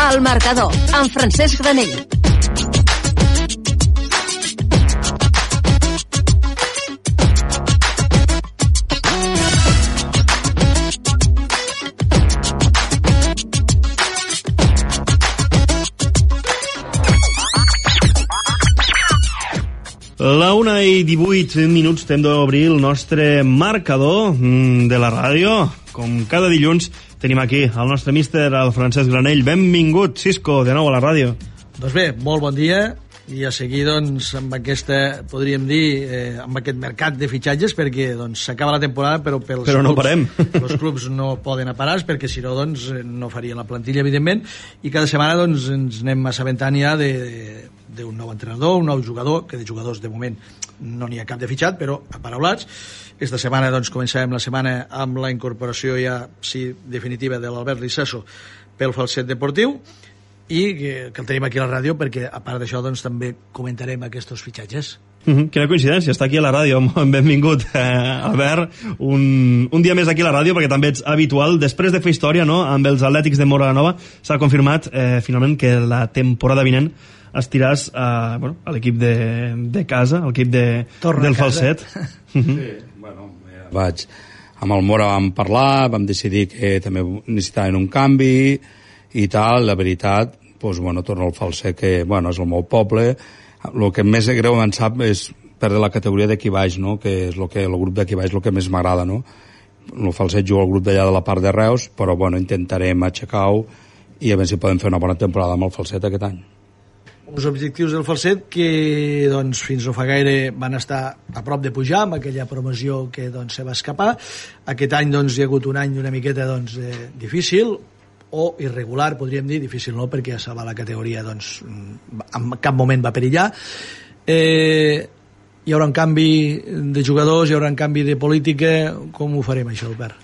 El Marcador, amb Francesc Granell. La 1:18 temps d'obrir el nostre marcador de la ràdio. Com cada dilluns tenim aquí el nostre míster, el Francesc Granell. Benvingut, Cisco, de nou a la ràdio. Doncs bé, molt bon dia, i a seguir doncs amb aquesta, podríem dir, amb aquest mercat de fitxatges, perquè doncs s'acaba la temporada, però no clubs, parem. Els clubs no poden parar, perquè si no doncs no farien la plantilla, evidentment, i cada setmana doncs ens anem assabentant ja d'un nou entrenador, un nou jugador, que de jugadors de moment no n'hi ha cap de fitxat, però aparaulats. Esta setmana doncs començàvem la setmana amb la incorporació ja, sí, definitiva de l'Albert Licesso pel Falset Deportiu, i que el tenim aquí a la ràdio perquè a part d'això doncs també comentarem aquests fitxatges. Quina coincidència, està aquí a la ràdio. Benvingut, Albert, un dia més aquí a la ràdio, perquè també ets habitual. Després de fer història, no?, amb els Atlètics de Móra la Nova, s'ha confirmat finalment que la temporada vinent estiràs a l'equip de casa, a l'equip del Falset. Sí, bueno, vaig amb el Mora, vam parlar, vam decidir que també necessitaven un canvi i tal. La veritat, doncs, torno al Falset, que és el meu poble. El que més greu em sap és perdre la categoria d'aquí baix, no?, que és el grup d'aquí baix el que més m'agrada, no? El Falset juga al grup d'allà de la part de Reus, però intentarem aixecar-ho i a veure si podem fer una bona temporada amb el Falset aquest any. Uns objectius del Falset que doncs, fins no fa gaire van estar a prop de pujar amb aquella promoció que doncs, se va escapar. Aquest any doncs, hi ha hagut un any una miqueta doncs, difícil o irregular, podríem dir, difícil no, perquè a salvar la categoria doncs, en cap moment va perillar. Hi haurà un canvi de jugadors, hi haurà un canvi de política. Com ho farem això, Albert?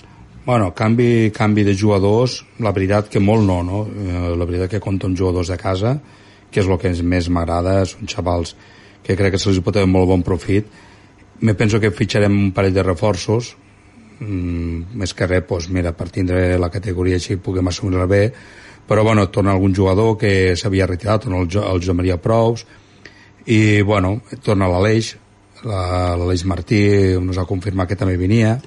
Canvi de jugadors, la veritat que molt no? La veritat que compto amb jugadors de casa, que és el que més m'agrada. Són xavals que crec que se'ls pot tenir molt bon profit. Me penso que fitxarem un parell de reforços, més que res, per tindre la categoria així puguem assumir-la bé, però torna algun jugador que s'havia retirat, torna el Josep Maria Prous, i torna l'Aleix Martí, ens ha confirmat que també venia,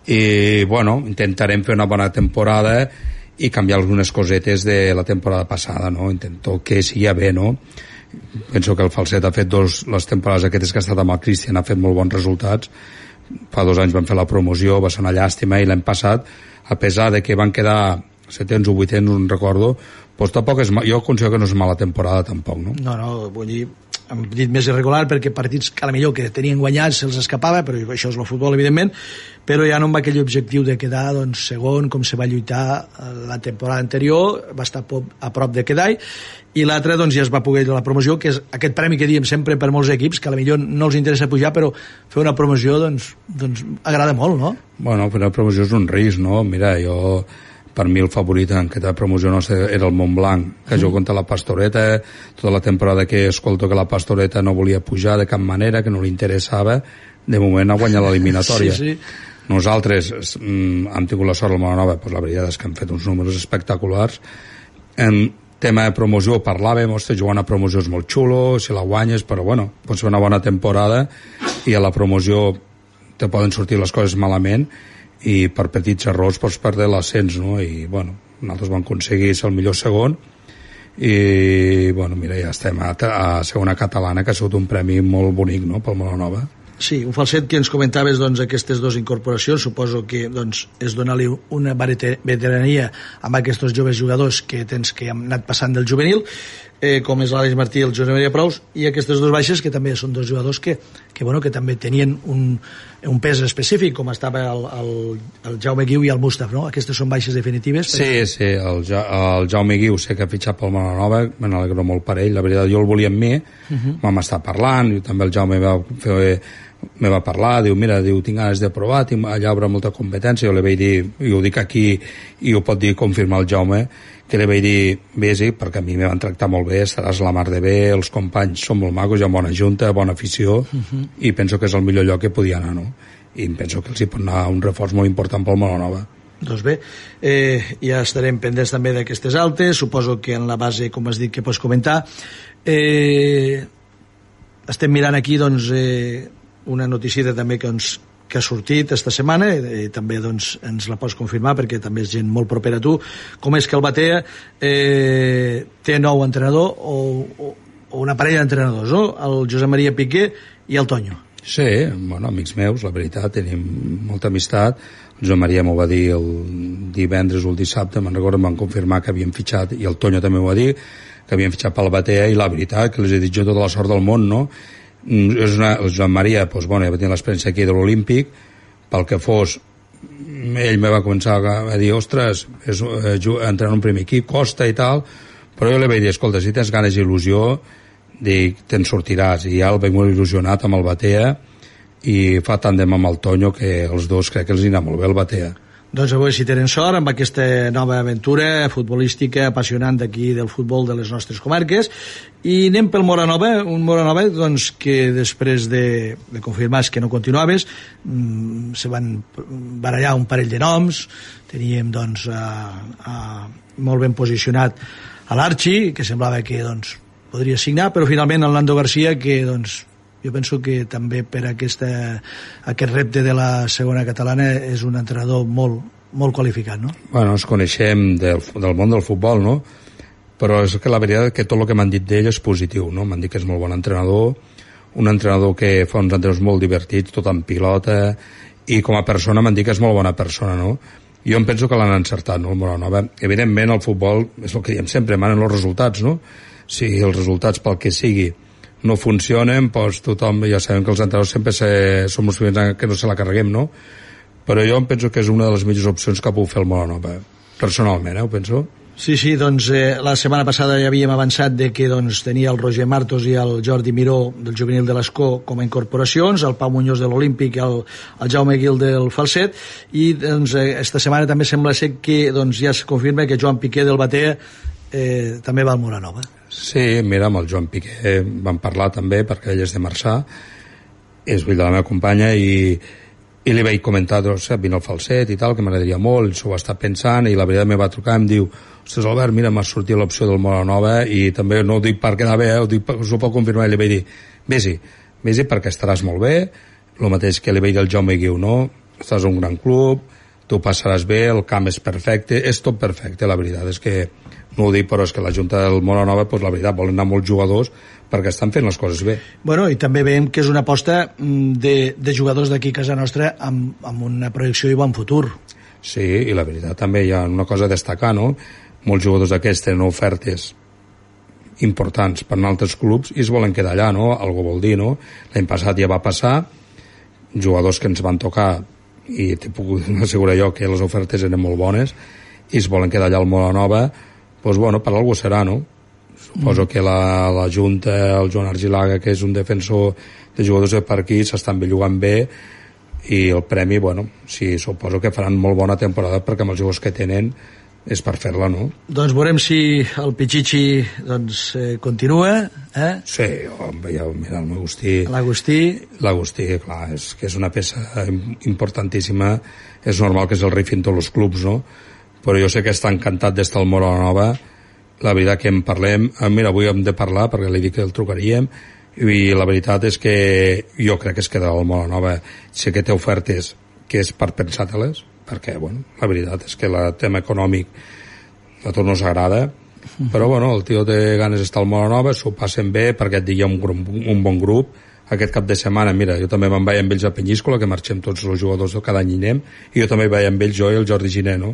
i intentarem fer una bona temporada i canviar algunes cosetes de la temporada passada, no? Intento que sigui bé, no? Penso que el Falset ha fet les temporades aquestes que ha estat amb el Cristian, ha fet molt bons resultats. Fa 2 anys van fer la promoció, va ser una llàstima, i l'any passat, a pesar de que van quedar 7ens o 8ens, no recordo, doncs tampoc jo considero que no és mala temporada tampoc, no? No, vull dir, hem dit més irregular perquè partits que potser que tenien guanyats se'ls escapava, però això és el futbol, evidentment, però ja no amb aquell objectiu de quedar doncs, segon, com se va lluitar la temporada anterior, va estar a prop de quedar, i l'altre doncs, ja es va poder la promoció, que és aquest premi que diem sempre per molts equips, que potser no els interessa pujar, però fer una promoció doncs agrada molt, no? Fer una promoció és un risc, no? Mira, per mi el favorit en aquesta promoció era el Montblanc, que jo contra la Pastoreta, tota la temporada que escolto que la Pastoreta no volia pujar de cap manera, que no li interessava, de moment ha guanyat l'eliminatòria. Sí. Nosaltres hem tingut la sort al Molanova, la veritat és que hem fet uns números espectaculars. En tema de promoció parlàvem, jugar una promoció és molt xulo, si la guanyes, però pot ser una bona temporada, i a la promoció te poden sortir les coses malament, i per petits errors pots perdre l'ascens, no? I nosaltres vam aconseguir ser el millor segon, i mira, ja estem a segona catalana, que ha sigut un premi molt bonic, no?, pel Molanova. Sí, un Falset que ens comentaves aquestes 2 incorporacions, suposo que és donar-li una veterania amb aquests joves jugadors que han anat passant del juvenil, com és l'Àlex Martí i el Josep Maria Prous, i aquestes 2 baixes que també són 2 jugadors que també tenien un pes específic, com estava el Jaume Guiu i el Mustaf, no? Aquestes són baixes definitives. Sí, el Jaume Guiu sé que ha fitxat pel Molanova, me n'alegro molt per ell, la veritat jo el volia amb mi, vam estar parlant, i també el Jaume me va parlar, mira, tinc ganes de provar, allà hi haurà molta competència, jo li vaig dir, i ho dic aquí, i ho pot dir, confirmar el Jaume, que li vaig dir, vés-hi, perquè a mi me van tractar molt bé, estaràs la mar de bé, els companys són molt macos, hi ha bona junta, bona afició, i penso que és el millor lloc que podia anar, no? I penso que els hi pot anar un reforç molt important pel Molanova. Doncs bé, ja estarem pendents també d'aquestes altes, suposo que en la base, com has dit, que pots comentar. Estem mirant aquí doncs, una notícia també que ha sortit esta setmana, i també doncs, ens la pots confirmar perquè també és gent molt propera a tu, com és que el Batea té nou entrenador o una parella d'entrenadors, no? El Josep Maria Piqué i el Toño. Sí, bueno, amics meus, la veritat, tenim molta amistat. El Joan Maria m'ho va dir el divendres o el dissabte, me'n recordo, em van confirmar que havien fitxat, i el Toño també m'ho va dir, que havien fitxat pel Batea, i la veritat, que les he dit jo tota la sort del món, no? El Joan Maria, doncs, bueno, ja va tenir l'experiència aquí de l'Olímpic, pel que fos, ell me va començar a dir, ostres, entrar en un primer equip, costa i tal, però jo li vaig dir, escolta, si tens ganes i il·lusió, dic, te'n sortiràs, i ja el vaig molt il·lusionat amb el Batea, i fa tàndem amb el Toño que els dos crec que els anirà molt bé el Batea. Doncs a veure si tenen sort amb aquesta nova aventura futbolística apassionant d'aquí del futbol de les nostres comarques. I anem pel Moranova, un Moranova doncs, que després de confirmar que no continuaves se van barallar un parell de noms. Teníem doncs molt ben posicionat a l'Archi, que semblava que doncs, podria signar, però finalment el Nando García, que doncs jo penso que també per aquest repte de la segona catalana és un entrenador molt qualificat, no? Bueno, ens coneixem del món del futbol, no? Però és que la veritat és que tot el que m'han dit d'ell és positiu, no? M'han dit que és molt bon entrenador, un entrenador que fa uns entrenadors molt divertits, tot en pilota, i com a persona m'han dit que és molt bona persona, no? Jo em penso que l'han encertat, no? Moranova. Evidentment el futbol és el que diem sempre, manen els resultats, no? Si els resultats pel que sigui no funcionen, doncs tothom, ja sabem que els entrenadors sempre som els primers que no se la carreguem, no? Però jo em penso que és una de les millors opcions que puc fer el Moranova, personalment, ho penso. Sí, doncs la setmana passada ja havíem avançat de que doncs, tenia el Roger Martos i el Jordi Miró del juvenil de l'Escó com a incorporacions, el Pau Muñoz de l'Olímpic i el Jaume Guil del Falset, i doncs esta setmana també sembla ser que doncs, ja es confirma que Joan Piqué del Batea també va al Moranova. Sí, mira, amb el Joan Piqué vam parlar també, perquè ell és de Marçà, és fill de la meva companya, i li vaig comentar, doncs, vine al Falset i tal, que m'agradaria molt, s'ho va estar pensant, i la veritat me va trucar i em diu, ostres, Albert, mira, m'ha sortit l'opció del Moranova, i també no ho dic per quedar bé, ho dic, us ho pot confirmar, i li vaig dir, vés-hi perquè estaràs molt bé, el mateix que li vaig dir al Jaume Guiu, no? Estàs a un gran club, tu passaràs bé, el camp és perfecte, és tot perfecte, la veritat és que no ho dic, però és que la Junta del Moranova, doncs la veritat, volen anar molts jugadors perquè estan fent les coses bé. Bueno, i també veiem que és una aposta de jugadors d'aquí a casa nostra amb una projecció i bon futur. Sí, i la veritat també hi ha una cosa a destacar, no? Molts jugadors d'aquests tenen ofertes importants per altres clubs i es volen quedar allà, no? Algo vol dir, no? L'any passat ja va passar, jugadors que ens van tocar, i t'he pogut assegurar jo que les ofertes eren molt bones, i es volen quedar allà al Moranova, doncs bueno, per algú serà, no? Suposo que la Junta, el Joan Argilaga, que és un defensor de jugadors de per aquí, s'estan bellugant bé, i el premi, bueno, sí, suposo que faran molt bona temporada perquè amb els jugadors que tenen és per fer-la, no? Doncs veurem si el Pichichi doncs, continua, eh? Sí, ja, mira, l'Agustí, clar, és que és una peça importantíssima, és normal que és el rei fent tots els clubs, no? Però jo sé que està encantat d'estar al Moranova, la veritat que en parlem, mira, avui hem de parlar perquè li dic que el trucaríem, i la veritat és que jo crec que es quedarà al Moranova. Sé que té ofertes que és per pensar-te-les, perquè, bueno, la veritat és que el tema econòmic a tots no s'agrada, però, bueno, el tio té ganes d'estar al Moranova, s'ho passen bé, perquè et digui un bon grup. Aquest cap de setmana, mira, jo també me'n vaig amb ells a Penyíscola, que marxem tots els jugadors cada any i anem, i jo també vaig amb ells, jo i el Jordi Giner, no?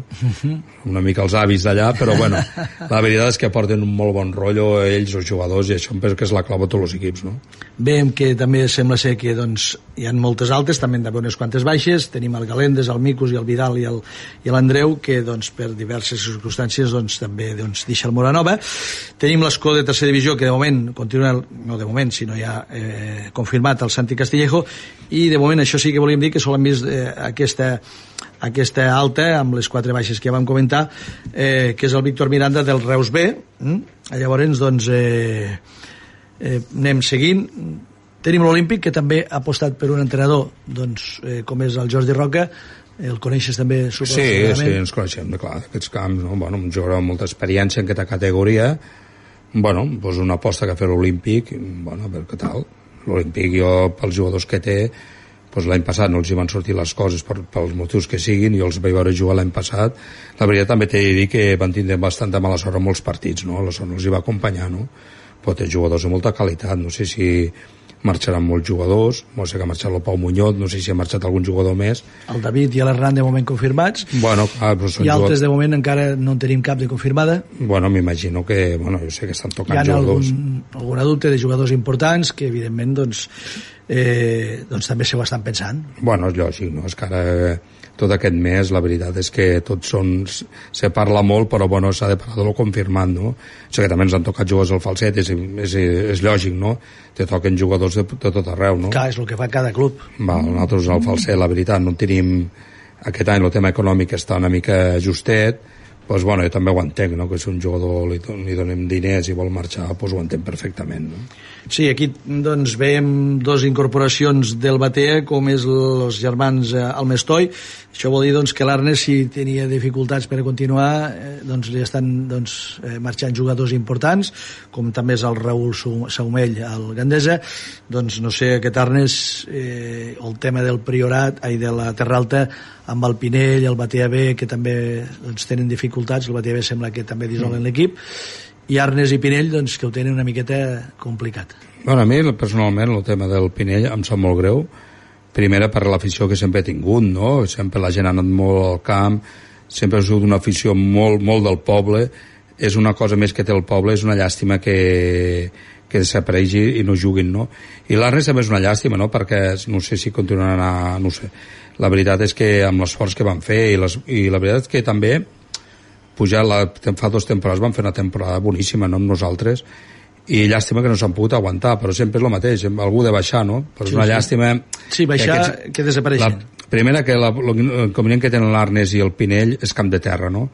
Una mica els avis d'allà, però bueno, la veritat és que porten un molt bon rotllo ells, els jugadors, i això em penso que és la clau de tots els equips, no? Veiem que també sembla ser que doncs, hi ha moltes altes, també d'haver unes quantes baixes, tenim el Galendes, el Micus i el Vidal i l'Andreu, que doncs, per diverses circumstàncies doncs, també doncs, deixa el Moranova. Tenim l'Escó de tercera divisió, que de moment continua, no de moment, sinó ja confirmat el Santi Castillejo, i de moment això sí que volíem dir que sol hem vist aquesta alta amb les 4 baixes que ja vam comentar, que és el Víctor Miranda del Reus B. Llavors doncs anem seguint. Tenim l'Olímpic, que també ha apostat per un entrenador doncs, com és el Jordi Roca, El coneixes també? Sí, ens coneixem, clar, d'aquests camps, no? Bueno, un jugador amb molta experiència en aquesta categoria, bueno, doncs una aposta que ha fet l'Olímpic, bueno, a veure què tal. L'Olímpic, jo, pels jugadors que té, doncs l'any passat no els hi van sortir les coses pels motius que siguin, jo els vaig veure jugar l'any passat. La veritat també t'he de dir que van tindre bastanta mala sort en molts partits, no? La sort no els hi va acompanyar, no? Però té jugadors de molta qualitat, no sé si marxaran molts jugadors, no sé que ha marxat el Pau Muñoz, no sé si ha marxat algun jugador més. El David i l'Hernan de moment confirmats, bueno, però són i altres de moment encara no en tenim cap de confirmada. Bueno, m'imagino que, bueno, jo sé que estan tocant jugadors. Hi ha algun adulte de jugadors importants que evidentment doncs també s'ho estan pensant. Bueno, és lògic, no? És que ara tot aquest mes la veritat és que tots són, se parla molt, però bueno, s'ha de parlar de lo confirmant, no? O sigui que també ens han tocat jugadors al falset, és lògic, no? Te toquen jugadors de tot arreu, no? Clar, és el que fa cada club. Nosaltres al falset, la veritat, no tenim aquest any el tema econòmic està una mica justet, doncs bueno, jo també ho entenc, no? Que si un jugador li donem diners i vol marxar, doncs ho entenc perfectament, no? Sí, aquí doncs veiem dos incorporacions del Batea, com és els germans Almestoi. Això vol dir doncs, que l'Arnes, si tenia dificultats per a continuar, doncs li estan marxant jugadors importants, com també és el Raül Saumell al Gandesa. Doncs no sé, aquest Arnes, el tema del Priorat, de la Terra Alta, amb el Pinell, el Batea B, que també doncs, tenen dificultats. El Batea B sembla que també dissolen l'equip, i Arnes i Pinell doncs, que ho tenen una miqueta complicat. Bueno, a mi personalment el tema del Pinell em sap molt greu, primera per l'afició que sempre he tingut, no? Sempre la gent ha anat molt al camp, sempre ha sigut una afició molt, molt del poble, és una cosa més que té el poble, és una llàstima que desapareixi i no juguin, no? I l'Arnes també és una llàstima, no? Perquè no sé si continuaran a... no sé. La veritat és que amb l'esforç que van fer i la veritat és que també pujar fa 2 temporades van fer una temporada boníssima, no, amb nosaltres, i llàstima que no s'han pogut aguantar, però sempre és el mateix, algú de baixar, no? Però és una llàstima... Sí, baixar, que desapareixen. Primera, que l'inconvenient que tenen l'Arnes i el Pinell és camp de terra, no?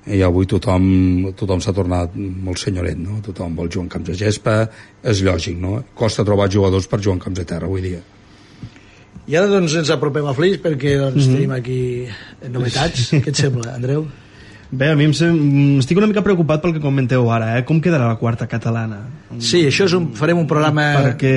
I avui tothom s'ha tornat molt senyoret, no? Tothom vol jugar en camps de gespa, és lògic, no? Costa trobar jugadors per jugar en camps de terra avui dia. I ara doncs ens apropem a Flix perquè doncs, tenim aquí novetats. Què et sembla, Andreu? Bé, a mi estic una mica preocupat pel que comenteu ara, com quedarà la quarta catalana? Sí, això farem un programa... Perquè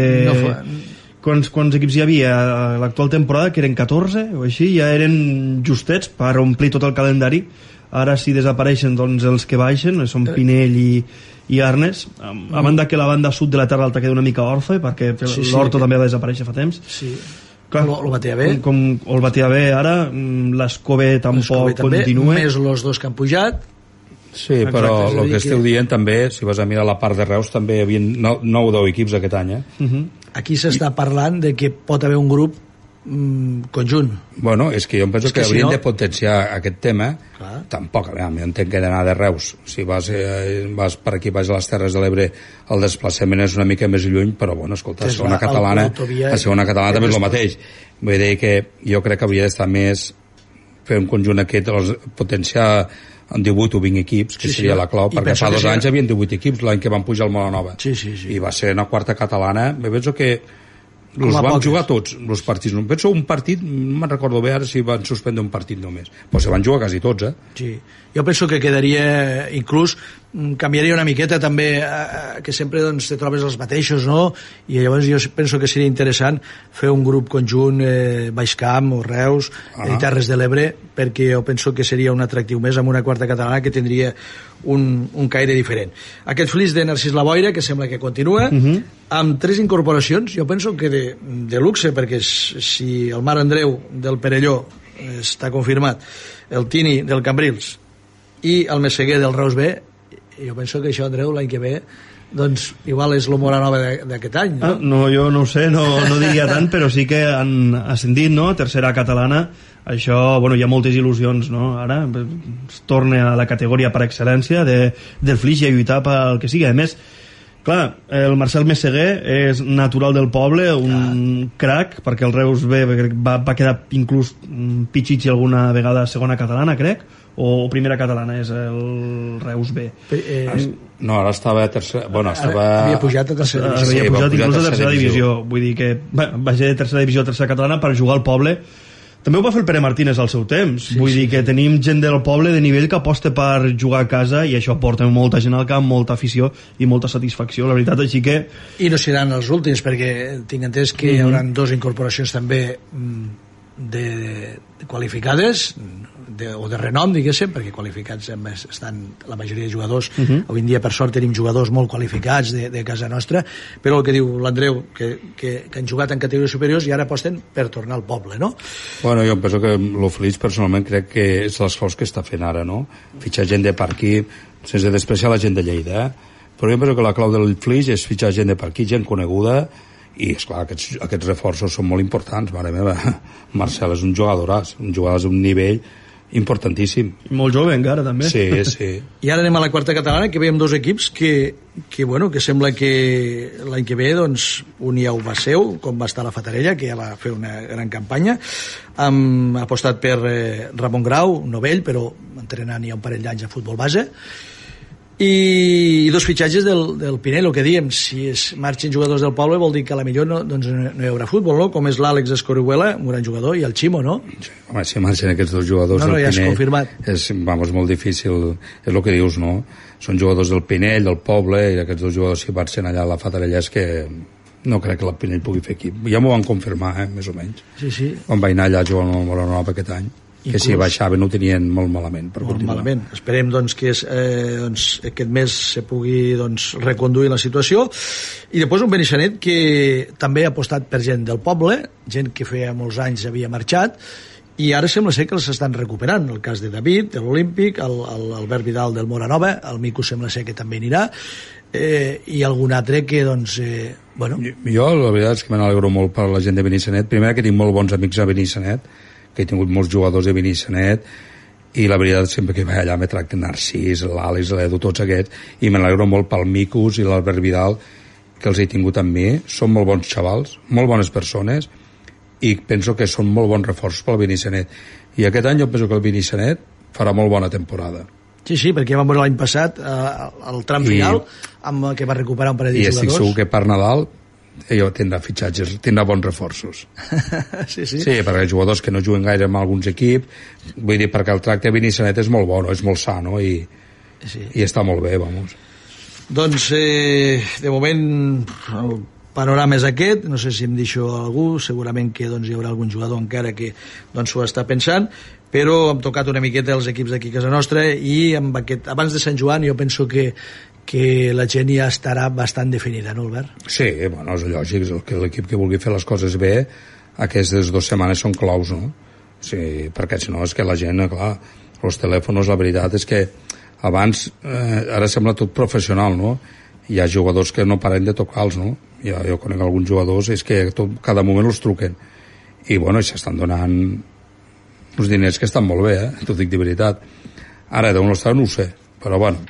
quants equips hi havia a l'actual temporada, que eren 14 o així, ja eren justets per omplir tot el calendari. Ara si desapareixen doncs, els que baixen, són Pinell i Arnes, a banda que la banda sud de la Terra Alta queda una mica orfe, perquè l'Horto també va desaparèixer fa temps. Sí. Clar, el Batea B. El Batea B ara, l'Escove tampoc continua. Més els dos que han pujat. Sí, però el que esteu dient també, si vas a mirar la part de Reus, també hi havia 9 o 10 equips aquest any. Aquí s'està parlant de que pot haver un grup conjunt. Bueno, és que jo em penso que haurien de potenciar aquest tema. Tampoc, a mi entenc que he d'anar de Reus. Si vas per aquí, vas a les Terres de l'Ebre, el desplaçament és una mica més lluny, però bueno, escolta, a segona catalana també és el mateix. Vull dir que jo crec que hauria d'estar més fer un conjunt aquest, potenciar en 18 o 20 equips, que seria la clau, perquè fa 2 anys hi havia 18 equips, l'any que van pujar al Molanova. I va ser una quarta catalana. Me penso que els vam jugar tots, els partits. No penso un partit, no me'n recordo bé ara si van suspendre un partit només, però se van jugar quasi tots, Sí. Jo penso que quedaria, inclús canviaria una miqueta també, que sempre doncs, te trobes els mateixos, no? I llavors jo penso que seria interessant fer un grup conjunt, Baixcamp o Reus, Terres de l'Ebre, perquè jo penso que seria un atractiu més amb una quarta catalana que tindria un caire diferent. Aquest Flix de Narcís Laboira, que sembla que continua, amb 3 incorporacions, jo penso que de luxe, perquè si el Mar Andreu del Perelló està confirmat, el Tini del Cambrils i el Messeguer del Reus B, jo penso que això, Andreu, l'any que ve doncs igual és l'Homora Nova d'aquest any, no? No, jo no ho sé, no diria tant, però sí que han ascendit, no? Tercera catalana, això, bueno, hi ha moltes il·lusions, no? Ara es torna a la categoria per excel·lència del Flix i a lluitar pel que sigui. A més, clar, el Marcel Messeguer és natural del poble, un crac, perquè el Reus B va quedar inclús pitxitxi alguna vegada a segona catalana, crec, o primera catalana és el Reus B. No, ara estava a tercera... Bueno, havia pujat a tercera divisió. Havia pujat inclús a tercera divisió. Vull dir que va ser de tercera divisió a tercera catalana per jugar al poble, També ho va fer el Pere Martínez al seu temps. Vull dir que tenim gent del poble de nivell que aposta per jugar a casa i això porta molta gent al camp, molta afició i molta satisfacció, la veritat, així que... I no seran els últims, perquè tinc entès que hi haurà 2 incorporacions també de qualificades o de renom, diguéssim, perquè qualificats estan la majoria de jugadors. Avui en dia, per sort, tenim jugadors molt qualificats de casa nostra, però el que diu l'Andreu, que han jugat en categories superiors i ara aposten per tornar al poble, no? Bueno, jo penso que el Flix personalment crec que és l'esforç que està fent ara, no? Fitxar gent de per aquí, sense despreciar la gent de Lleida, però jo penso que la clau del Flix és fitxar gent de per aquí, gent coneguda, i esclar, aquests reforços són molt importants. Mare meva, Marcel és un jugadoràs, un nivell importantíssim. Molt jove encara, també. Sí, sí. I ara anem a la quarta catalana, que veiem 2 equips que sembla que l'any que ve, doncs, un ja ho va ser, com va estar la Fatarella, que ja va fer una gran campanya. Hem apostat per Ramon Grau, novell, però entrenant ja un parell d'anys a futbol base. I 2 fitxatges del Pinell, el que diem, si marxen jugadors del poble vol dir que a la millor no hi haurà futbol, no? Com és l'Àlex Escorihuela, un gran jugador, i el Ximo, no? Home, si marxen aquests 2 jugadors del Pinell, ja és confirmat. És molt difícil, és el que dius, no? Són jugadors del Pinell, del poble, i aquests 2 jugadors si marxen allà a la Fatarella és que no crec que el Pinell pugui fer equip. Ja m'ho van confirmar, més o menys. Sí. Quan va anar allà a jugar al Moranova aquest any. Que si baixaven ho tenien molt malament per continuar. Malament. Esperem doncs, que aquest mes se pugui reconduir la situació. I després un Benissanet que també ha apostat per gent del poble, gent que feia molts anys havia marxat, i ara sembla ser que els estan recuperant. El cas de David, de l'Olímpic, l'Albert Vidal del Moranova, el Mico sembla ser que també anirà, i algun altre que bueno... Jo la veritat és que me n'alegro molt per la gent de Benissanet. Primer que tinc molt bons amics a Benissanet, que he tingut molts jugadors de Benissanet, i la veritat sempre que vaig allà me tracten Narcís, l'Àlex, l'Edu, tots aquests, i me n'alegro molt pel Micus i l'Albert Vidal, que els he tingut amb mi. Són molt bons xavals, molt bones persones, i penso que són molt bons reforços pel Benissanet. I aquest any jo penso que el Benissanet farà molt bona temporada. Sí, perquè vam veure l'any passat el tram final, amb que va recuperar un parell de jugadors. I estic segur que per Nadal ell tindrà fitxatges, tindrà bons reforços. Sí, perquè jugadors que no juguen gaire amb alguns equips, vull dir, perquè el tracte a Benissanet és molt bo, no? És molt sa, no? I està molt bé, vamos. Doncs, de moment, el panorama és aquest. No sé si em deixo algú, segurament que hi haurà algun jugador encara que s'ho està pensant, però hem tocat una miqueta els equips d'aquí a casa nostra, i abans de Sant Joan jo penso que la gent ja estarà bastant definida, no, Albert? Sí, bueno, és lògic, que l'equip que vulgui fer les coses bé, aquestes 2 setmanes són claus, no? Sí, perquè si no és que la gent, clar, els telèfons, la veritat és que abans, ara sembla tot professional, no? Hi ha jugadors que no paren de tocar-los, no? Jo conec alguns jugadors, és que cada moment els truquen, i bueno, s'estan donant uns diners que estan molt bé, t'ho dic de veritat. Ara, d'on l'estan no ho sé, però bueno,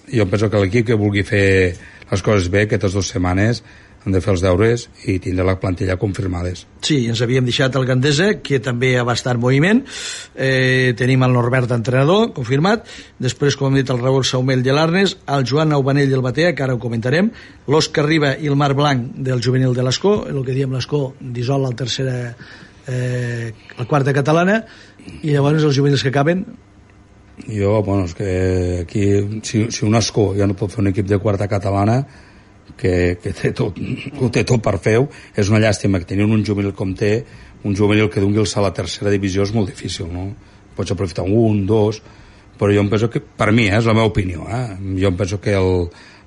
jo penso que l'equip que vulgui fer les coses bé, aquestes 2 setmanes han de fer els deures i tindre la plantilla confirmades. Sí, ens havíem deixat el Gandesa, que també va estar en moviment. Tenim el Norbert entrenador, confirmat. Després, com hem dit, el Raül Saumell de l'Arnes, el Joan Aubanell del Batea, que ara ho comentarem, l'Òscar Riba i el Marc Blanc del juvenil de l'Escó, el que diem l'Escó, dissol la tercera, la quarta catalana, i llavors els juvenils que acaben... Jo, bueno, és que aquí, si un Escó ja no pot fer un equip de quarta catalana, que ho té tot per fer-ho, és una llàstima que tenint un juvenil com té, un juvenil que doni el salt a la tercera divisió és molt difícil, no? Pots aprofitar 1, 2, però jo em penso que, per mi, és la meva opinió, jo em penso que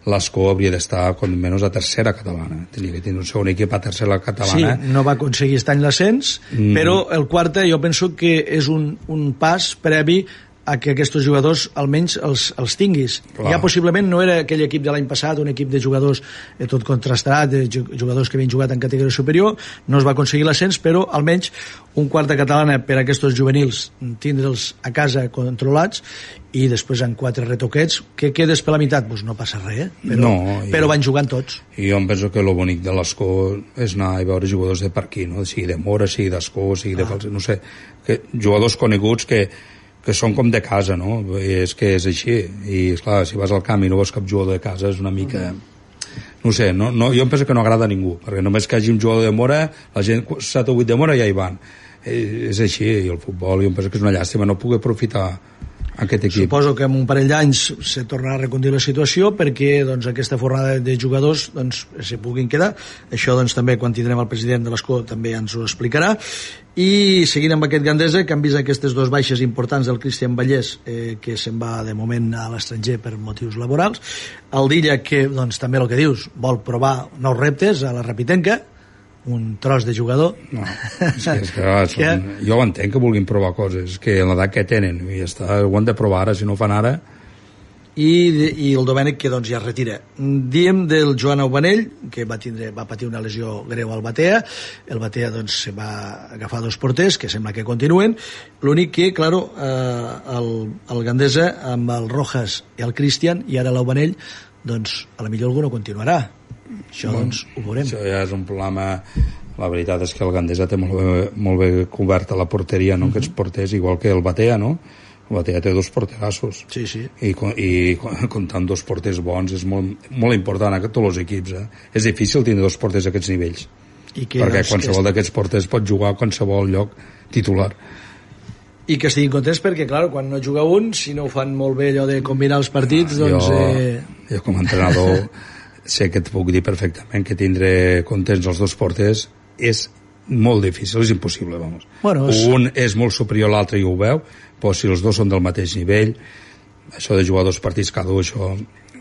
l'Escó hauria d'estar, com menys, a tercera catalana. Tenia que tenir un segon equip a tercera catalana. Sí, no va aconseguir aquest any l'ascens, però el quarta jo penso que és un pas previ a que aquests jugadors almenys els tinguis. Clar. Ja possiblement no era aquell equip de l'any passat, un equip de jugadors tot contrastat, de jugadors que havien jugat en categoria superior, no es va aconseguir l'ascens, però almenys un quarta catalana per a aquests juvenils, tindre'ls a casa controlats, i després en 4 retoquets, que quedes per la meitat, doncs no passa res, però van jugant tots. I jo em penso que el bonic de l'Escó és anar a veure jugadors de per aquí, no? Sigui de Mora, sigui d'Escó, sigui de Falset, no sé, jugadors coneguts que són com de casa, no? És que és així, i esclar, si vas al camp i no veus cap jugador de casa és una mica... No sé, jo em penso que no agrada a ningú, perquè només que hi hagi un jugador de Mora, la gent 7 o 8 de Mora ja hi van, és així, i el futbol, jo em penso que és una llàstima no poder aprofitar aquest equip. Suposo que en un parell d'anys se tornarà a reconduir la situació perquè doncs, aquesta fornada de jugadors doncs, se puguin quedar. Això doncs, també quan tindrem el president de l'Escó també ens ho explicarà. I seguint amb aquest Gandesa, que han vist aquestes dos baixes importants del Cristian Vallès, que se'n va de moment a l'estranger per motius laborals, el Dilla, que doncs, també el que dius, vol provar nous reptes a la Rapitenca, un tros de jugador. No, és que jo ho entenc que vulguin provar coses, que en l'edat que tenen i ja està, ho han de provar ara, si no ho fan ara. I el Domènec, que doncs ja es retira. Diem del Joan Aubanell, que va patir una lesió greu al Batea. El Batea doncs se va agafar dos porters que sembla que continuen. L'únic que, claro, el Gandesa amb el Rojas i el Cristian i ara l'Aubanell, doncs a la millor algú no continuarà. Això doncs ho veurem. Això ja és un problema. La veritat és que el Gandesa té molt bé coberta la porteria, no? Aquests porters, igual que el Batea, no? El Batea té dos porterassos. Sí, sí. I comptant dos porters bons és molt important a tots els equips. És difícil tenir dos porters a aquests nivells. Perquè qualsevol d'aquests porters pot jugar a qualsevol lloc titular. I que estiguin contents perquè, clar, quan no juga un, si no ho fan molt bé allò de combinar els partits, doncs... Jo com a entrenador sé que et puc dir perfectament que tindre contents els dos porters és molt difícil, és impossible, vamos. Bueno, un és molt superior a l'altre i ho veu, però si els dos són del mateix nivell, això de jugar dos partits cada un, això,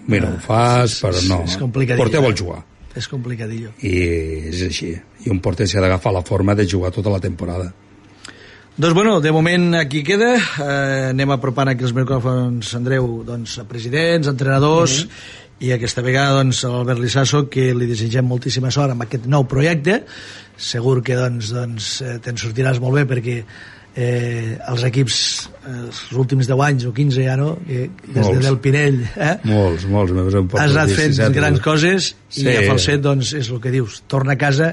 mira, ho fas, però no. És complicadillo. Porter vol jugar. És complicadillo. I és així. I un porter s'ha d'agafar la forma de jugar tota la temporada. Doncs bueno, de moment aquí queda. Anem apropant aquí els micròfons, Andreu, doncs, a presidents, entrenadors, i aquesta vegada doncs, a l'Albert Lissasso, que li desitgem moltíssima sort amb aquest nou projecte. Segur que doncs, te'n sortiràs molt bé perquè els equips els últims 10 anys o 15 ja no, des del Pinell molts has anat fent grans coses i a Falset doncs és el que dius, torna a casa.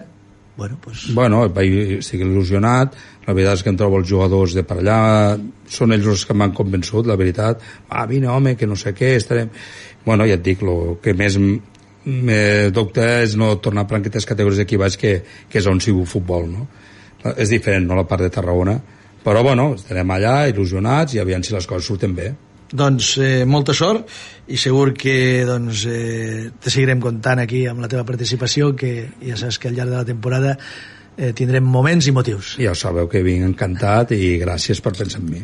Bueno, estic il·lusionat. La veritat és que em trobo els jugadors de per allà, són ells els que m'han convençut, la veritat. Vine, home, que no sé què, estarem... Bueno, ja et dic, el que més me dubte és no tornar a aquestes categories d'aquí baix, que és on sigo futbol, no? És diferent, no?, la part de Tarragona. Però, bueno, estarem allà, il·lusionats, i aviam si les coses surten bé. Doncs molta sort, i segur que doncs, te seguirem comptant aquí amb la teva participació, que ja saps que al llarg de la temporada tindrem moments i motius. Ja ho sabeu que vinc encantat i gràcies per pensar en mi.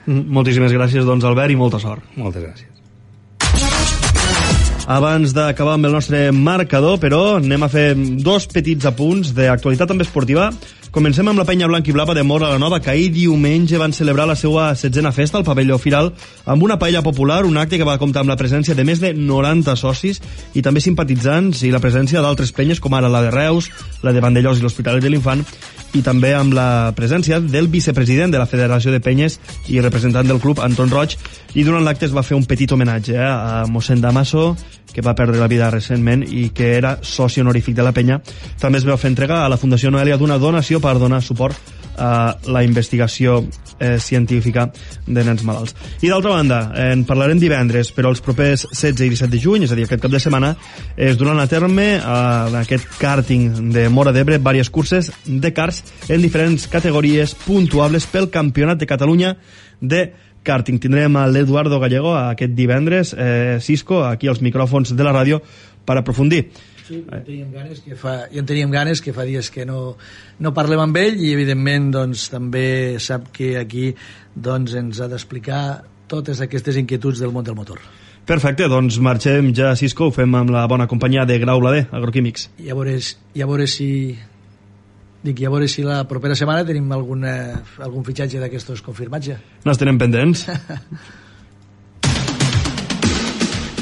Moltíssimes gràcies, doncs, Albert, i molta sort. Moltes gràcies. Abans d'acabar amb el nostre marcador, però anem a fer dos petits apunts d'actualitat també esportiva. Comencem amb la penya blanc i blava de Móra la Nova, que ahir diumenge van celebrar la seva 7a festa al pavelló Firal amb una paella popular, un acte que va comptar amb la presència de més de 90 socis i també simpatitzants, i la presència d'altres penyes com ara la de Reus, la de Vandellós i l'Hospitalet de l'Infant, i també amb la presència del vicepresident de la Federació de Penyes i representant del club, Anton Roig, i durant l'acte es va fer un petit homenatge a mossèn Damaso, que va perdre la vida recentment i que era soci honorífic de la penya. També es va fer entrega a la Fundació Noelia d'una donació per donar suport a la investigació científica de nens malalts. I d'altra banda, en parlarem divendres, però els propers 16 i 17 de juny, és a dir, aquest cap de setmana, es duran a terme en aquest kàrting de Móra d'Ebre diverses curses de karts en diferents categories puntuables pel Campionat de Catalunya de kàrting. Tindrem a l'Eduardo Gallego aquest divendres, Cisco, aquí als micròfons de la ràdio, per aprofundir. Sí, teníem ganes que fa dies que no parlem amb ell, i evidentment doncs, també sap que aquí doncs, ens ha d'explicar totes aquestes inquietuds del món del motor. Perfecte, doncs marxem ja, Cisco, ho fem amb la bona companyia de Grau Blader, Agroquímics. I a veure si la propera setmana tenim algun fitxatge d'aquestos confirmats ja. No els tenem pendents.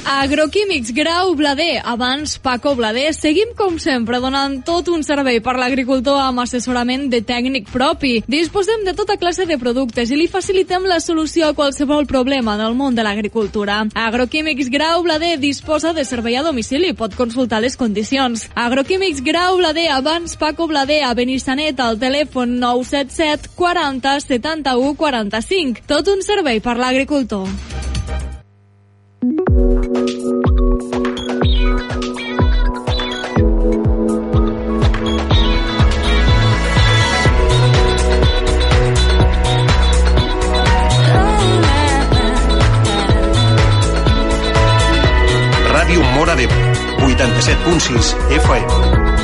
Agroquímics Grau Blader, abans Paco Blader. Seguim com sempre donant tot un servei per l'agricultor amb assessorament de tècnic propi. Disposem de tota classe de productes i li facilitem la solució a qualsevol problema del món de l'agricultura. Agroquímics Grau Blader disposa de servei a domicili, pot consultar les condicions. Agroquímics Grau Blader, abans Paco Blader, a Benissanet, al telèfon 977 40 71 45. Tot un servei per l'agricultor. Ràdio Móra d'Ebre, 87.6 FM.